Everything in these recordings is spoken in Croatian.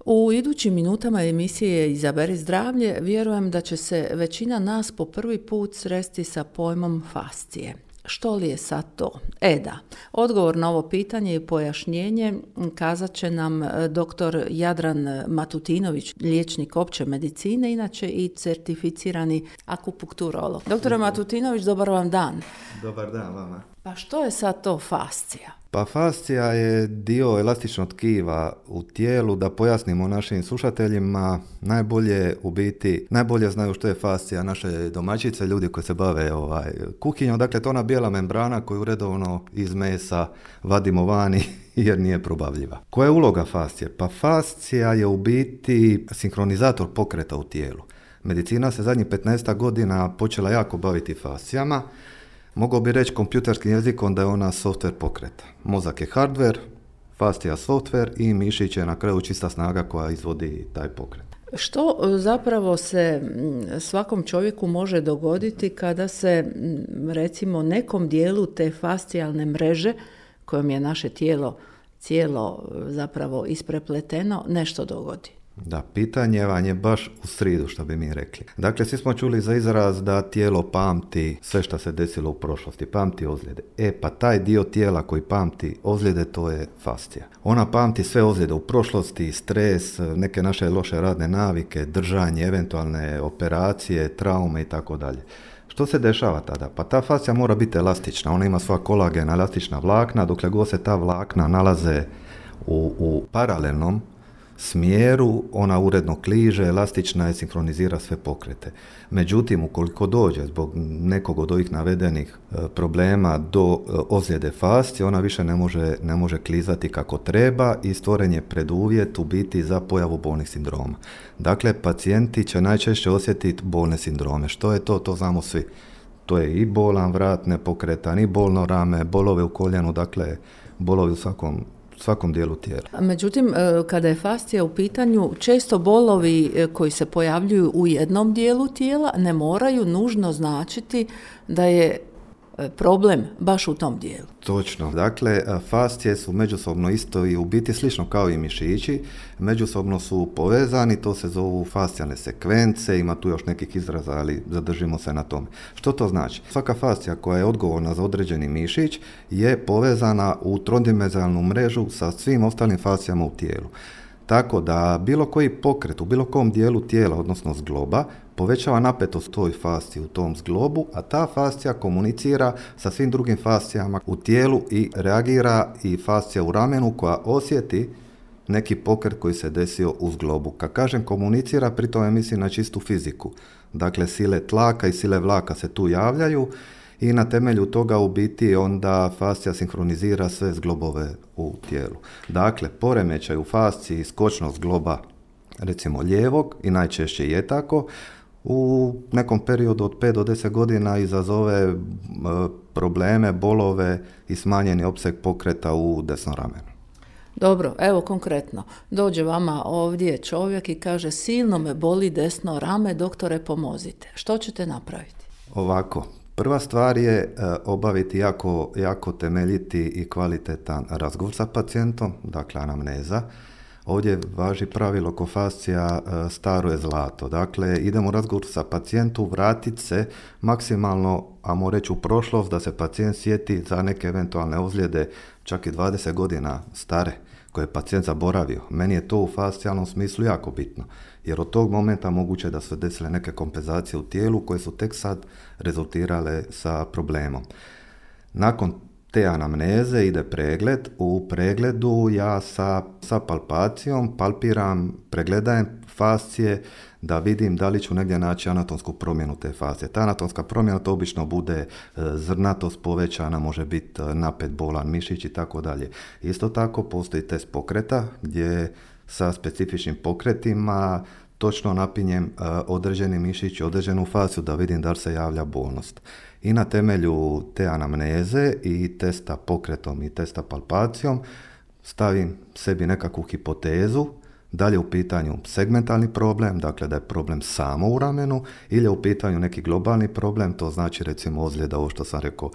U idućim minutama emisije Izaberi zdravlje vjerujem da će se većina nas po prvi put sresti sa pojmom fascije. Što li je sad to? Da, odgovor na ovo pitanje i pojašnjenje kazat će nam dr. Jadran Matutinović, liječnik opće medicine, inače i certificirani akupunkturolog. Dr. Matutinović, dobar vam dan. Dobar dan vama. Pa što je sad to fascija? Pa fascija je dio elastičnog tkiva u tijelu. Da pojasnimo našim slušateljima, najbolje znaju što je fascija naše domaćice, ljudi koji se bave kuhinjom. Dakle, to ona bijela membrana koju redovno iz mesa vadimo vani jer nije probavljiva. Koja je uloga fascije? Pa fascija je u biti sinkronizator pokreta u tijelu. Medicina se zadnjih 15 godina počela jako baviti fascijama. Mogao bi reći kompjuterskim jezikom da je ona software pokreta. Mozak je hardware, fascija software i mišić je na kraju čista snaga koja izvodi taj pokret. Što zapravo se svakom čovjeku može dogoditi kada se, recimo, nekom dijelu te fascijalne mreže kojom je naše tijelo cijelo zapravo isprepleteno nešto dogodi? Da, pitanje vam je baš u sridu, što bi mi rekli. Dakle, svi smo čuli za izraz da tijelo pamti sve što se desilo u prošlosti, pamti ozljede. Pa taj dio tijela koji pamti ozljede, to je fascija. Ona pamti sve ozljede u prošlosti, stres, neke naše loše radne navike, držanje, eventualne operacije, traume i tako dalje. Što se dešava tada? Pa ta fascija mora biti elastična, ona ima sva kolagena, elastična vlakna, dokle god se ta vlakna nalaze u paralelnom smjeru, ona uredno kliže, elastična je, sinkronizira sve pokrete. Međutim, ukoliko dođe zbog nekog od ovih navedenih problema do ozljede fascije, ona više ne može klizati kako treba i stvoren je preduvjet u biti za pojavu bolnih sindroma. Dakle, pacijenti će najčešće osjetiti bolne sindrome. Što je to? To znamo svi. To je i bolan vrat, nepokretan, i bolno rame, bolove u koljenu, dakle, bolovi u svakom dijelu tijela. Međutim, kada je fascija u pitanju, često bolovi koji se pojavljuju u jednom dijelu tijela ne moraju nužno značiti da je problem baš u tom dijelu. Točno. Dakle, fascije su međusobno isto i u biti slično kao i mišići. Međusobno su povezani, to se zovu fascijalne sekvence, ima tu još nekih izraza, ali zadržimo se na tome. Što to znači? Svaka fascija koja je odgovorna za određeni mišić je povezana u trodimenzionalnu mrežu sa svim ostalim fascijama u tijelu. Tako da bilo koji pokret u bilo kom dijelu tijela, odnosno zgloba, povećava napetost toj fasciji u tom zglobu, a ta fascija komunicira sa svim drugim fascijama u tijelu i reagira i fascija u ramenu koja osjeti neki pokret koji se desio u zglobu. Kad kažem komunicira, pri tome mislim na čistu fiziku. Dakle, sile tlaka i sile vlaka se tu javljaju i na temelju toga u biti onda fascija sinkronizira sve zglobove u tijelu. Dakle, poremećaj u fasciji skočnog zgloba, recimo lijevog, i najčešće je tako, u nekom periodu od 5 do 10 godina izazove probleme, bolove i smanjeni opseg pokreta u desnom ramenu. Dobro, evo konkretno. Dođe vama ovdje čovjek i kaže: silno me boli desno rame, doktore pomozite. Što ćete napraviti? Ovako. Prva stvar je obaviti jako temeljiti i kvalitetan razgovor sa pacijentom, dakle anamneza. Ovdje važi pravilo ko fascija staro je zlato. Dakle, idemo u razgovor sa pacijentom, vratiti se maksimalno, ajmo reći, u prošlost, da se pacijent sjeti za neke eventualne ozljede, čak i 20 godina stare, koje je pacijent zaboravio. Meni je to u fascijalnom smislu jako bitno, jer od tog momenta moguće da su desile neke kompenzacije u tijelu koje su tek sad rezultirale sa problemom. Nakon te anamneze ide pregled. U pregledu ja sa palpacijom palpiram, pregledajem fascije da vidim da li ću negdje naći anatomsku promjenu te fascije. Ta anatomska promjena to obično bude zrnatost povećana, može biti napet, bolan mišić i tako dalje. Isto tako postoji test pokreta gdje sa specifičnim pokretima točno napinjem određeni mišić, određenu fasciju da vidim da li se javlja bolnost. I na temelju te anamneze i testa pokretom i testa palpacijom stavim sebi nekakvu hipotezu da li je u pitanju segmentalni problem, dakle da je problem samo u ramenu, ili je u pitanju neki globalni problem, to znači recimo ozljeda, ovo što sam rekao,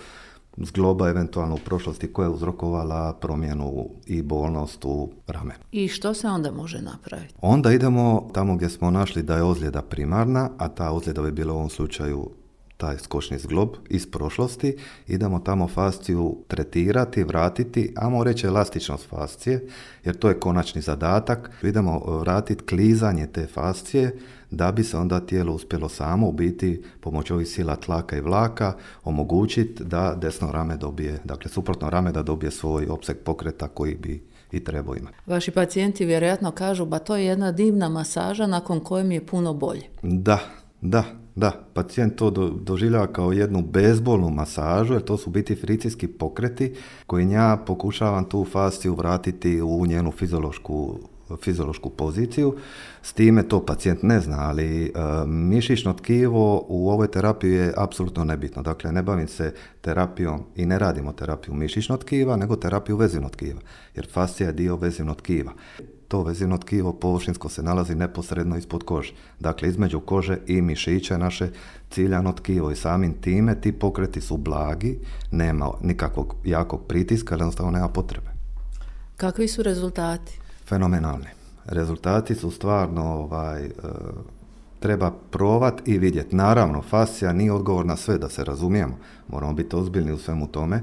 zgloba eventualno u prošlosti koja je uzrokovala promjenu i bolnost u ramenu. I što se onda može napraviti? Onda idemo tamo gdje smo našli da je ozljeda primarna, a ta ozljeda bi bila u ovom slučaju taj skočni zglob iz prošlosti, idemo tamo fasciju tretirati, vratiti, ajmo reći elastičnost fascije, jer to je konačni zadatak. Idemo vratiti klizanje te fascije da bi se onda tijelo uspjelo samo u biti pomoću ovih sila tlaka i vlaka omogućiti da desno rame dobije, dakle suprotno rame da dobije svoj opseg pokreta koji bi i trebao imati. Vaši pacijenti vjerojatno kažu, ba to je jedna divna masaža nakon koje mi je puno bolje. Da, pacijent to doživljava kao jednu bezbolnu masažu, jer to su biti frikcijski pokreti koji ja pokušavam tu fasciju vratiti u njenu fiziološku poziciju. S time to pacijent ne zna, ali mišićno tkivo u ovoj terapiji je apsolutno nebitno. Dakle, ne bavim se terapijom i ne radimo terapiju mišićnog tkiva, nego terapiju vezivnog tkiva, jer fascija je dio vezivnog tkiva. To vezivno tkivo površinsko se nalazi neposredno ispod kože. Dakle, između kože i mišića je naše ciljano tkivo i samim time ti pokreti su blagi, nema nikakvog jakog pritiska, ali jednostavno nema potrebe. Kakvi su rezultati? Fenomenalni. Rezultati su stvarno treba probati i vidjeti. Naravno, fascija nije odgovor na sve, da se razumijemo. Moramo biti ozbiljni u svemu tome.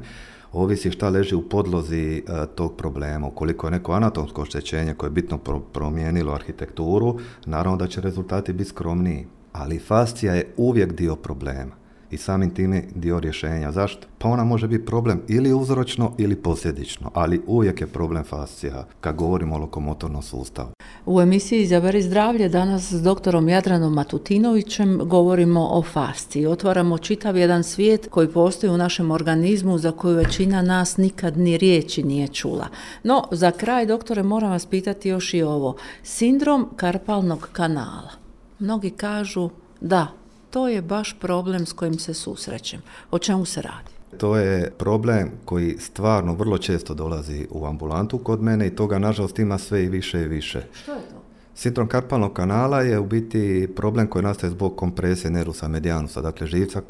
Ovisi šta leži u podlozi tog problema. Ukoliko je neko anatomsko oštećenje koje je bitno promijenilo arhitekturu, naravno da će rezultati biti skromniji. Ali fascija je uvijek dio problema i samim time dio rješenja. Zašto? Pa ona može biti problem ili uzročno ili posljedično, ali uvijek je problem fascija kad govorimo o lokomotornom sustavu. U emisiji Izaberi zdravlje danas s doktorom Jadranom Matutinovićem govorimo o fasciji. Otvaramo čitav jedan svijet koji postoji u našem organizmu za koju većina nas nikad ni riječi nije čula. No, za kraj, doktore, moram vas pitati još i ovo. Sindrom karpalnog kanala. Mnogi kažu da, to je baš problem s kojim se susrećem. O čemu se radi? To je problem koji stvarno vrlo često dolazi u ambulantu kod mene i toga nažalost ima sve i više i više. Što je to? Sindrom karpalnog je u biti problem koji nastaje zbog kompresije nerusa medianusa, dakle živca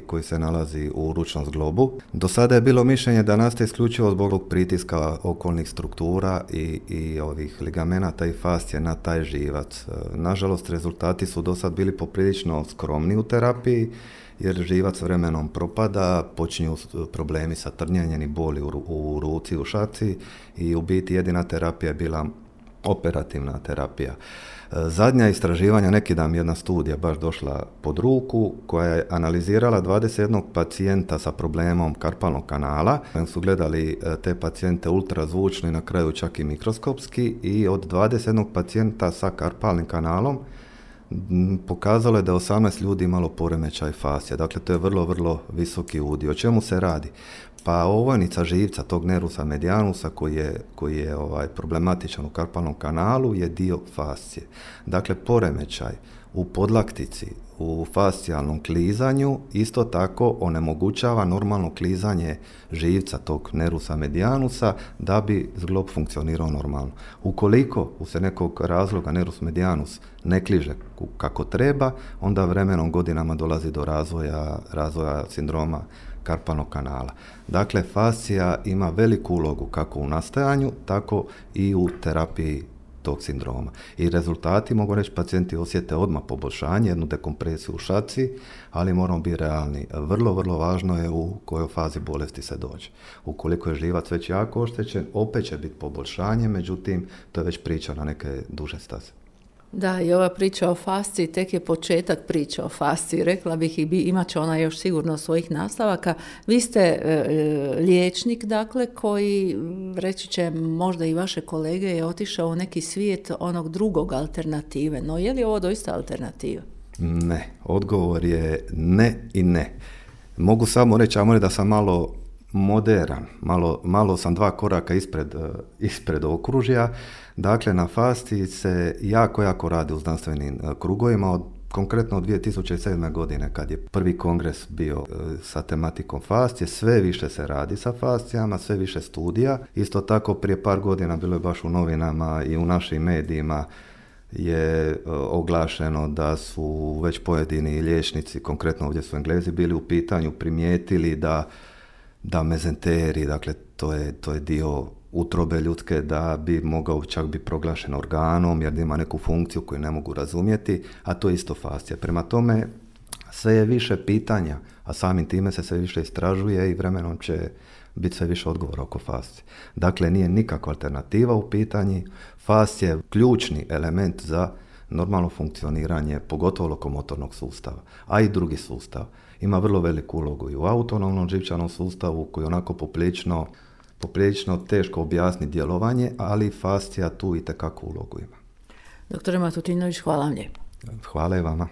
koji se nalazi u ručnom zglobu. Do sada je bilo mišljenje da nastaje isključivo zbog pritiska okolnih struktura i ovih ligamenata i fascije na taj živac. Nažalost, rezultati su do sad bili poprilično skromni u terapiji, jer živac vremenom propada, počinju problemi sa trnjenjem i boli u ruci, u šaci i u biti jedina terapija je bila operativna terapija. Zadnja istraživanja, neki dan jedna studija baš došla pod ruku, koja je analizirala 21 pacijenta sa problemom karpalnog kanala. Su gledali te pacijente ultrazvučno i na kraju čak i mikroskopski i od 21 pacijenta sa karpalnim kanalom pokazalo je da je 18 ljudi imalo poremećaj fascije. Dakle, to je vrlo, vrlo visoki udio. O čemu se radi? Pa ovojnica živca tog nerusa medianusa koji je problematičan u karpalnom kanalu je dio fascije. Dakle, poremećaj u podlaktici, u fascijalnom klizanju isto tako onemogućava normalno klizanje živca tog nerusa medianusa da bi zglob funkcionirao normalno. Ukoliko se nekog razloga nerus medianus ne kliže kako treba, onda vremenom godinama dolazi do razvoja sindroma karpalnog kanala. Dakle, fascija ima veliku ulogu kako u nastajanju, tako i u terapiji tog sindroma. I rezultati, mogu reći, pacijenti osjete odmah poboljšanje, jednu dekompresiju u šaci, ali moramo biti realni. Vrlo, vrlo važno je u kojoj fazi bolesti se dođe. Ukoliko je živac već jako oštećen, opet će biti poboljšanje, međutim, to je već priča na neke duže staze. Da, i ova priča o fasciji tek je početak priče o fasciji. Rekla bih i imat će ona još sigurno svojih nastavaka. Vi ste liječnik, dakle, koji, reći će možda i vaše kolege, je otišao u neki svijet onog drugog alternative. No, je li ovo doista alternativa? Ne, odgovor je ne i ne. Mogu samo reći, da sam malo moderan, malo sam 2 koraka ispred okružja. Dakle, na fasciji se jako radi u znanstvenim krugovima, konkretno od 2007. godine kad je prvi kongres bio sa tematikom fascije, sve više se radi sa fascijama, sve više studija. Isto tako prije par godina bilo je baš u novinama i u našim medijima je oglašeno da su već pojedini liječnici, konkretno ovdje su Englezi, bili u pitanju, primijetili da da mezenteri, dakle to je dio utrobe ljudske, da bi mogao čak biti proglašen organom jer ima neku funkciju koju ne mogu razumjeti, a to je isto fascija. Prema tome, sve je više pitanja, a samim time se sve više istražuje i vremenom će biti sve više odgovora oko fascije. Dakle, nije nikakva alternativa u pitanji. Fascija je ključni element za normalno funkcioniranje, pogotovo lokomotornog sustava, a i drugi sustav. Ima vrlo veliku ulogu i u autonomnom živčanom sustavu koji je onako poprilično teško objasniti djelovanje, ali fascija tu itekakvu ulogu ima. Doktore Matutinović, hvala vam lijepo. Hvala i vama.